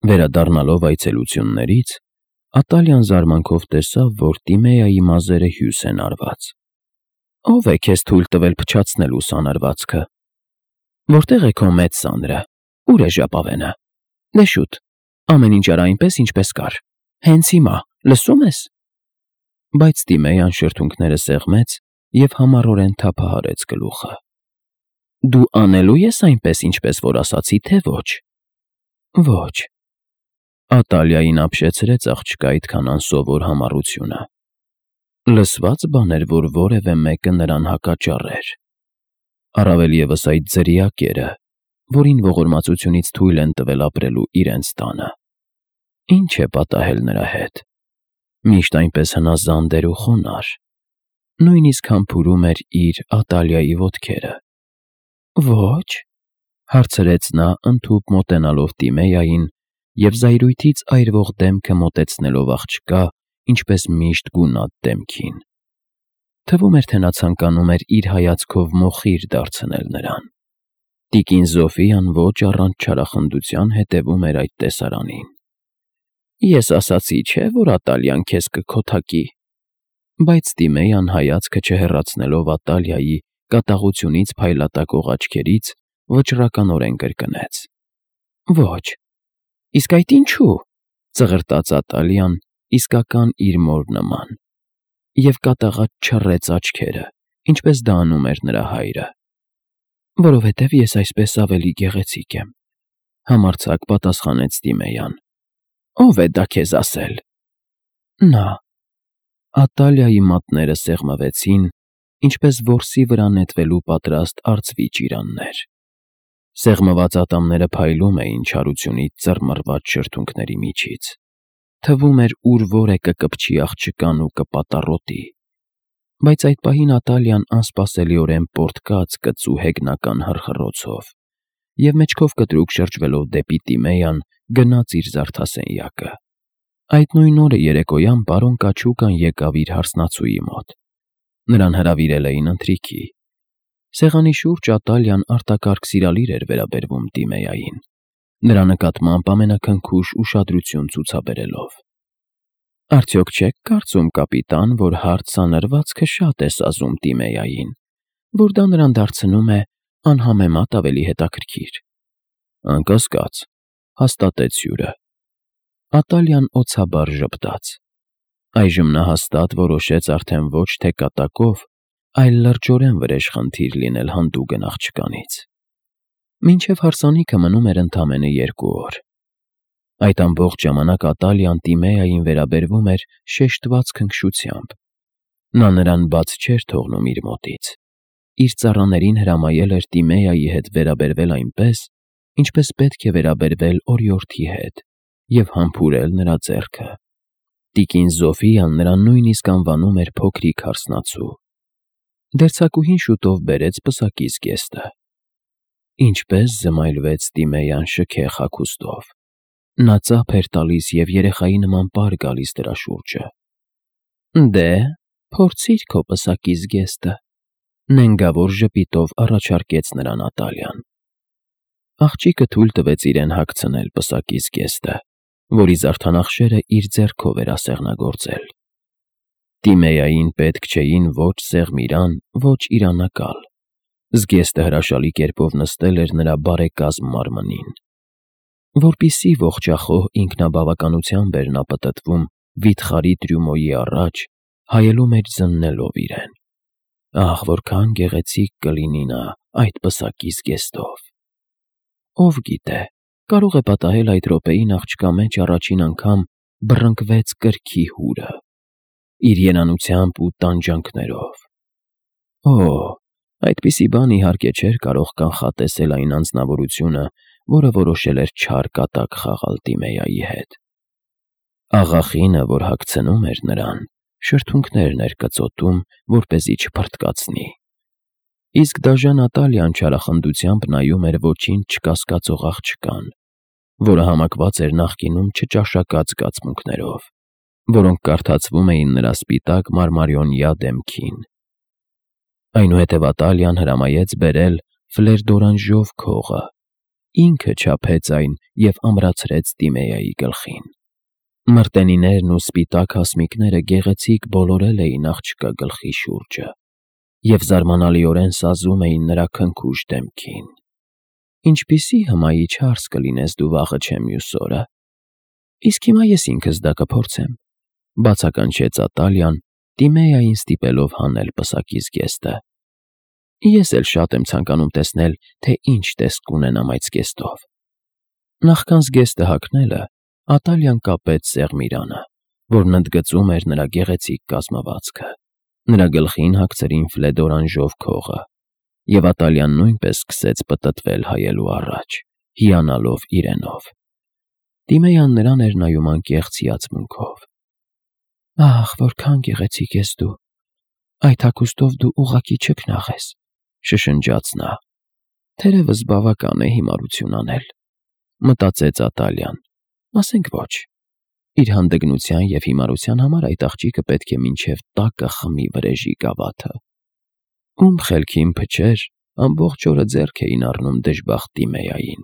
Վերադառնալով այցելություններից, Ատալիան զարմանքով տեսավ, որ Տիմեայի մազերը հյուս են արված։ «Ո՞վ է քեզ թույլ տվել փչացնելու սանրվածքը։ Որտե՞ղ է քո մեծ սանրը, ուր է ժապավենը։ Դե շուտ, ամեն ինչ արա այնպես, ինչպես կար, հենց հիմա, լսում ես»։ Բայց Տիմեյան շրթունքները սեղմեց և համառորեն թափահարեց գլուխը։ «Դու անելու ես այնպես, ինչպես որ ասացի, թե ոչ»։ «Ոչ»։ Ատալիային ապշեցրեց աղջկա այդքան անսովոր համառությունը։ Լսված բան էր, որ որևէ մեկը նրան հակաճառեր։ Առավել ևս այդ ձրիակերը, որին ողորմածությունից թույլ են տվել ապրելու իրենց տանը։ Ինչ է պատահել նրա հետ։ Միշտ այնպես հնազանդ էր ու խոնարհ։ Նույնիսկ համբուրում էր իր Ատալիայի ոտքերը։ «Ոչ», հարցրեց նա, ընդհուպ մոտենալով Տիմեային և զայրույթից այրվող դեմքը մոտեցնելով աղջկա, ինչպես միշտ գունատ դեմքին։ Թվում էր, թե նա ցանկանում էր իր հայացքով մոխիր դարձնել նրան։ Տիկին Զոֆիան ոչ առանց չարախնդության հետևում էր այդ տեսարանին։ «Ես ասացի, չէ՞, որ Ատալիան քեզ կքոթակի»։ Բայց Տիմեյան հայացքը չհեռացնելով Ատալիայի կատաղությունից փայլատակող աչքերից, վճռականորեն կրկնեց. «Ոչ»։ «Իսկ այդ ինչու՞», ծղրտաց Ատալիան իսկական իր մոր նման, և կատաղած չռեց աչքերը, ինչպես դա անում էր նրա հայրը։ «Որովհետև ես այսպես ավելի գեղեցիկ եմ», համարձակ պատասխանեց Տիմեյան։ «Ո՞վ է դա քեզ ասել»։ «Նա»։ Ատալիայի մատները սեղմվեցին, ինչպես որսի վրա նետվելու պատրաստ արծվի ճիրաններ։ Սեղմված ատամները փայլում էին չարությունից ծռմռված շրթունքների միջից։ Թվում էր, ուր որ է կկպչի աղջկան ու կպատառոտի։ Բայց այդ պահին Ատալիան անսպասելիորեն պոռթկաց կծու հեգնական հռխռոցով և մեջքով կտրուկ շրջվելով դեպի Տիմեյան գնաց իր զարդասենյակը։ Այդ նույն օրը երեկոյան պարոն Կաչուկան եկավ իր հարսնացուի մոտ։ Նրան հրավիրել էին ընթրիքի։ Սեղանի շուրջ Ատալիան արտակարգ սիրալիր էր վերաբերվում Տիմեային, նրա նկատմամբ ամենաքնքուշ ուշադրություն ցուցաբերելով։ «Արդյոք չեք կարծում, կապիտան, որ հարթ սանրվածքը շատ է սազում Տիմեային, որ դա նրան դարձնում է անհամեմատ ավելի հետաքրքիր»։ «Անկասկած», հաստատեց հյուրը։ Ատալիան օցաբար ժպտաց։ Այժմ նա հաստատ որոշեց արդեն ոչ թե կատակով, այլ լրջորեն վրեժխնդիր լինել հանդուգն աղջկանից։ Մինչև հարսանիքը մնում էր ընդամենը 2 օր։ Այդ ամբողջ ժամանակ Ատալիան Տիմեային վերաբերվում էր շեշտված քնքշությամբ։ Նա նրան բաց չէր թողնում իր մոտից։ Իր ծառաներին հրամայել էր Տիմեայի հետ վերաբերվել այնպես, ինչպես պետք է վերաբերվել օրիորդի հետ, և համբուրել նրա ձեռքը։ Տիկին Զոֆիան նրան նույնիսկ անվանում էր փոքրիկ հարսնացու։ Դերձակուհին շուտով բերեց պսակի զգեստը։ Ինչպես զմայլվեց Տիմեյան շքեղ հագուստով։ Նա ծափ էր տալիս և երեխայի նման պար գալիս դրա շուրջը։ «Դե, փորձիր քո պսակի զգեստը», նենգավոր ժպիտով առաջարկեց նրան Ատալիան։ Աղջիկը թույլ տվեց իրեն հագցնել պսակի զգեստը, որի զարդանախշերը իր ձեռքով էր ասեղնագործել։ Տիմեային պետք չէին ոչ սեղմիրան, ոչ իրանակալ։ Զգեստը հրաշալի կերպով նստել էր նրա բարեկազմ մարմնին։ Որպեսզի ողջախոհ ինքնաբավականությամբ էր նա պտտվում վիթխարի Տրյումոյի առաջ, հայելու մեջ զննելով իրեն։ Ահ, որքան գեղեցիկ կլինի նա այդ պսակի զգեստով։ Ով գիտե, կարող է պատահել այդ րոպեին աղջկա մեջ առաջին անգամ բռնկվեց կրքի հուրը, իր երանությամբ ու տանջանքներով։ Օ՜, այդպիսի բան իհարկե չէր կարող կանխատեսել այն անձնավորությունը, որը որոշել էր չար կատակ խաղալ Տիմեայի հետ։ Աղախինը, որ հագցնում էր նրան, շրթունքներն էր կծոտում, որպեսզի չփռթկացնի։ Իսկ դաժան Ատալիան չարախնդությամբ նայում էր ոչինչ չկասկածող աղջկան, որը համակված էր նախկինում չճաշակած զգացմունքներով, որոնք կարդացվում էին նրա սպիտակ մարմարյոնյա դեմքին։ Այնուհետև Ատալիան հրամայեց բերել ֆլեր դորանժով քողը, ինքը չափեց այն և ամրացրեց Տիմեայի գլխին։ Մրտենիներն ու սպիտակ հասմիկները գեղեցիկ բոլորել էին աղջկա գլխի շուրջը և զարմանալիորեն սազում էին նրա քնքուշ դեմքին։ «Ինչպիսի հմայիչ հարս կլինես դու վաղը չէ մյուս օրը։ Իսկ հիմա ես ինքս դա կփորձեմ», բացականչեց Ատալիան, Տիմեային ստիպելով հանել պսակի զգեստը։ «Ես էլ շատ եմ ցանկանում տեսնել, թե ինչ տեսք կունենամ այդ զգեստով»։ Նախքան զգեստը հագնելը, Ատալիան կապեց սեղմիրանը, որն ընդգծում էր նրա գեղեցիկ կազմվածքը։ Նրա գլխին հագցրին ֆլեդորանժով քողը, և Ատալիան նույնպես սկսեց պտտվել հայելու առաջ, հիանալով իրենով։ Տիմեյան նրան էր նայում անկեղծ հիացմունքով։ «Ահ, որքան գեղեցիկ ես դու, այդ հագուստով դու ուղղակի չքնաղես», շշնջաց նա։ «Թերևս բավական է հիմարություն անել», մտածեց Ատալիան, ասենք ոչ։ Իր հանդգնության և հիմարության համար այդ աղջիկը պետք է մինչև տակը խմի վրեժի գավաթը։ Ում խելքին փչեր ամբողջ օրը ձեռք էին առնում դժբախտ Տիմեային,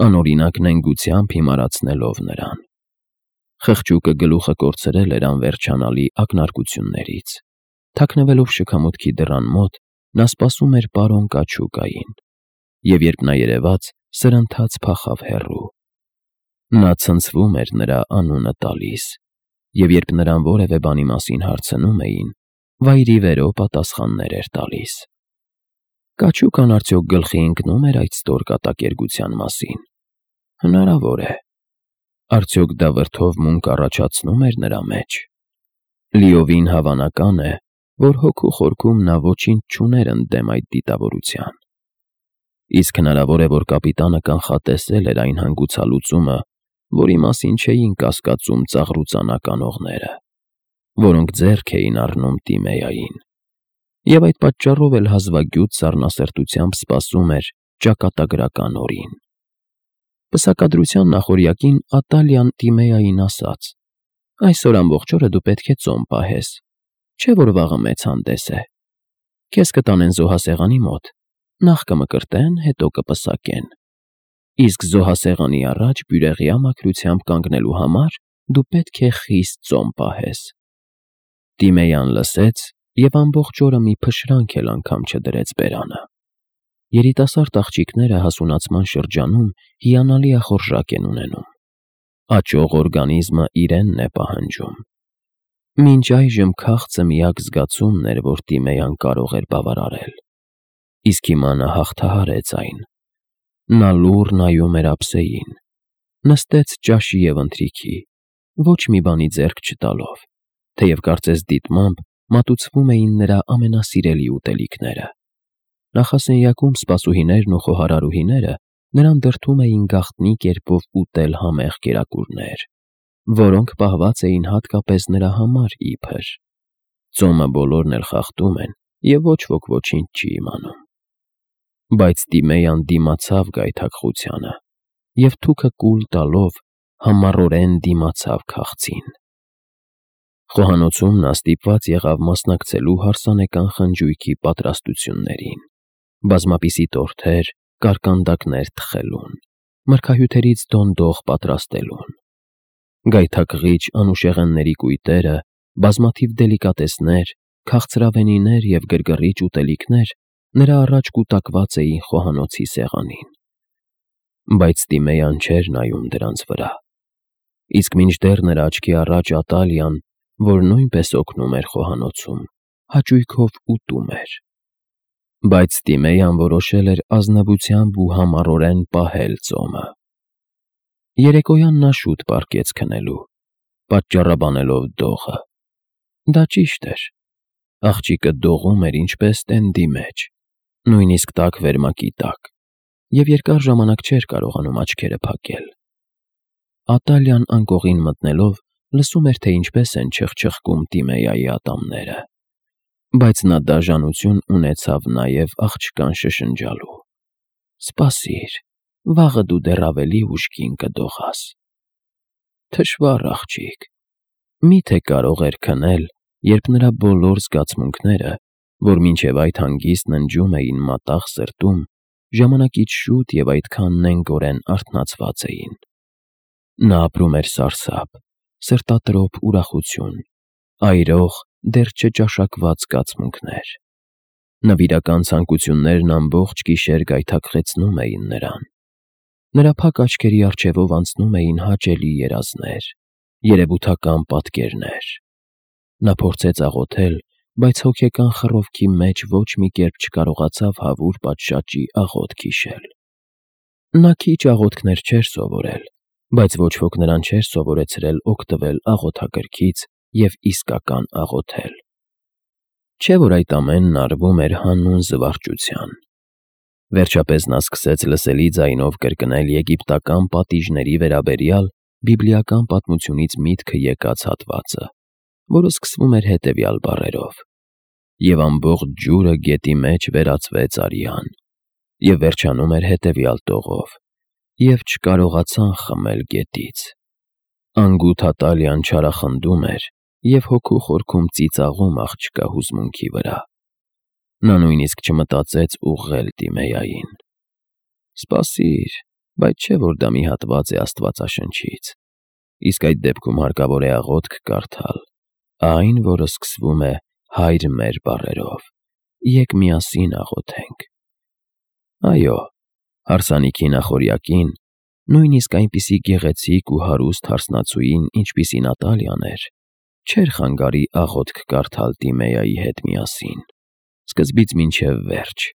անօրինակ նենգությամբ հիմարացնելով նրան։ Խղճուկը գլուխը կորցրել էր անվերջանալի ակնարկություններից։ Թաքնվելով շքամուտքի դռան մոտ, նա սպասում էր պարոն Կաչուկային, և երբ նա երևաց, սրընթաց փախավ հեռու։ Նա ցնցվում էր նրա անունը տալիս, և երբ նրան որևէ բանի մասին հարցնում էին, վայրիվերո պատասխաններ էր տալիս։ Կաչուկան արդյոք գլխի ընկնո՞ւմ էր այդ ստոր կատակերգության մասին։ Հնարավոր է։ Արդյոք դա վրդով մունք առաջացնում էր նրա մեջ։ Լիովին հավանական է, որ հոգու խորքում նա ոչինչ չուներ ընդդեմ այդ դիտավորության։ Իսկ հնարավոր է, որ կապիտանը կանխատեսել էր այն հանգուցալուծումը, որի մասին չէին կասկածում ծաղրուծանակ անողները, որոնք ձեռք էին առնում Տիմեային, և այդ պատճառով էլ հազվագյուտ սառնասրտությամբ սպասում էր ճակատագրական օրին։ Պսակադրության նախօրյակին Ատալիան Տիմեային ասաց. «Այսօր ամբողջ օրը դու պետք է ծոմ պահես, չէ՞ որ վաղը մեծ հանդես է։ Քեզ կտանեն զոհասեղանի մոտ, նախ կմկրտեն, հետո կպսակեն։ Իսկ զոհասեղանի առաջ բյուրեղյա մաքրությամբ կանգնելու համար դու պետք է խիստ ծոմ պահես»։ Տիմեյան լսեց և ամբողջ օրը մի փշրանք էլ անգամ չդրեց բերանը։ Երիտասարդ աղջիկները հասունացման շրջանում հիանալի ախորժակ են ունենում։ Աճող օրգանիզմը իրենն է պահանջում։ Մինչ այժմ քաղցը միակ զգացումն էր, որ Տիմեյան կարող էր բավարարել։ Իսկ հիմա նա հաղթահարեց այն։ Նա լուռ նայում էր ափսեին, նստեց ճաշի և ընթրիքի, ոչ մի բանի ձեռք չտալով, թեև կարծես դիտմամբ մատուցվում էին նրա ամենասիրելի ուտելիքները։ Նախասենյակում սպասուհիներն ու խոհարարուհիները նրան դրդում էին գաղտնի կերպով ուտել համեղ կերակուրներ, որոնք պահված էին հատկապես նրա համար իբր։ Ծոմը բոլորն էլ խախտում են, և ոչ ոք ոչինչ չի իմանում։ Բայց Տիմեյան դիմացավ գայթակղությանը և թուքը կուլ տալով համառորեն դիմացավ քաղցին։ Խոհանոցում նա ստիպված եղավ մասնակցելու հարսանեկան խնջույքի պատրաստություններին, բազմապիսի տորթեր, կարկանդակներ թխելուն, մրգահյութերից դոնդող պատրաստելուն։ Գայթակղիչ անուշեղենների կույտերը, բազմաթիվ դելիկատեսներ, քաղցրավենիներ և գրգռիչ ուտելիքներ նրա առաջ կուտակված էին խոհանոցի սեղանին։ Բայց Տիմեյան չէր նայում դրանց վրա։ Իսկ մինչդեռ նրա աչքի առաջ Ատալիան, որ նույնպես օգնում էր խոհանոցում, հաճույքով ուտում էր։ Բայց Տիմեյան որոշել էր ազնվությամբ ու համառորեն պահել ծոմը։ Երեկոյան նա շուտ պառկեց քնելու, պատճառաբանելով դողը։ Դա ճիշտ էր։ Աղջիկը դողում էր ինչպես տենդի մեջ, նույնիսկ տաք վերմակի տակ, և երկար ժամանակ չէր կարողանում աչքերը փակել։ Ատալիան անկողին մտնելով լսում էր, թե ինչպես են չխչխկում Տիմեայի ատամները, բայց նա դաժանություն ունեցավ նաև աղջկան շշնջալու. «Սպասիր, վաղը դու դեռ ավելի ուշ կին կդողաս»։ Թշվառ աղջիկ։ Մի՞թե կարող էր քնել, երբ նրա բոլոր զգացմունքները, որ մինչև այդ հանգիստ ննջում էին մատաղ սրտում, ժամանակից շուտ և այդքան նենգորեն արթնացված էին։ Նա ապրում էր սարսափ, սրտատրոփ ուրախություն, այրող, դեռ չճաշակված զգացմունքներ։ Նվիրական ցանկություններն ամբողջ գիշեր գայթակղեցնում էին նրան։ Նրա փակ աչքերի առջևով անցնում էին հաճելի երազներ, երևութական պատկերներ։ Նա փորձեց աղոթել, բայց հոգեկան խռովքի մեջ ոչ մի կերպ չկարողացավ հավուր պատշաճի աղոթք հիշել։ Նա քիչ աղոթքներ չէր սովորել, բայց ոչ ոք նրան չէր սովորեցրել օգտվել աղոթագրքից և իսկական աղոթել։ Չէ՞ որ այդ ամենն արվում էր հանուն զվարճության։ Վերջապես նա սկսեց լսելի ձայնով կրկնել եգիպտական պատիժների վերաբերյալ բիբլիական պատմությունից միտքը եկած հատվածը, որը սկսվում էր հետևյալ բառերով. «Եվ ամբողջ ջուրը գետի մեջ վերածվեց արյան», և վերջանում էր հետևյալ տողով. «Եվ չկարողացան խմել գետից»։ Անգութ Ատալիան չարախնդում էր և հոգու խորքում ծիծաղում աղջկա հուզմունքի վրա։ Նա նույնիսկ չմտածեց ուղղել Տիմեային։ Սպասիր, բայց չէ՞ որ դա մի հատված է Աստվածաշնչից։ Իսկ այդ դեպքում հարկավոր է աղոթք կարդալ, այն, որը սկսվում է «Հայր մեր» բառերով։ Ե՛կ միասին աղոթենք։ Այո, հարսանիքի նախօրյակին, նույնիսկ այնպիսի գեղեցիկ ու հարուստ հարսնացուին, ինչպիսին Ատալիան էր, չէր խանգարի աղոթք կարդալ Տիմեայի հետ միասին, սկզբից մինչև վերջ,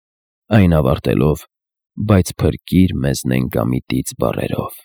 այն ավարտելով. «Բայց փրկիր մեզ նենգամիտից» բառերով։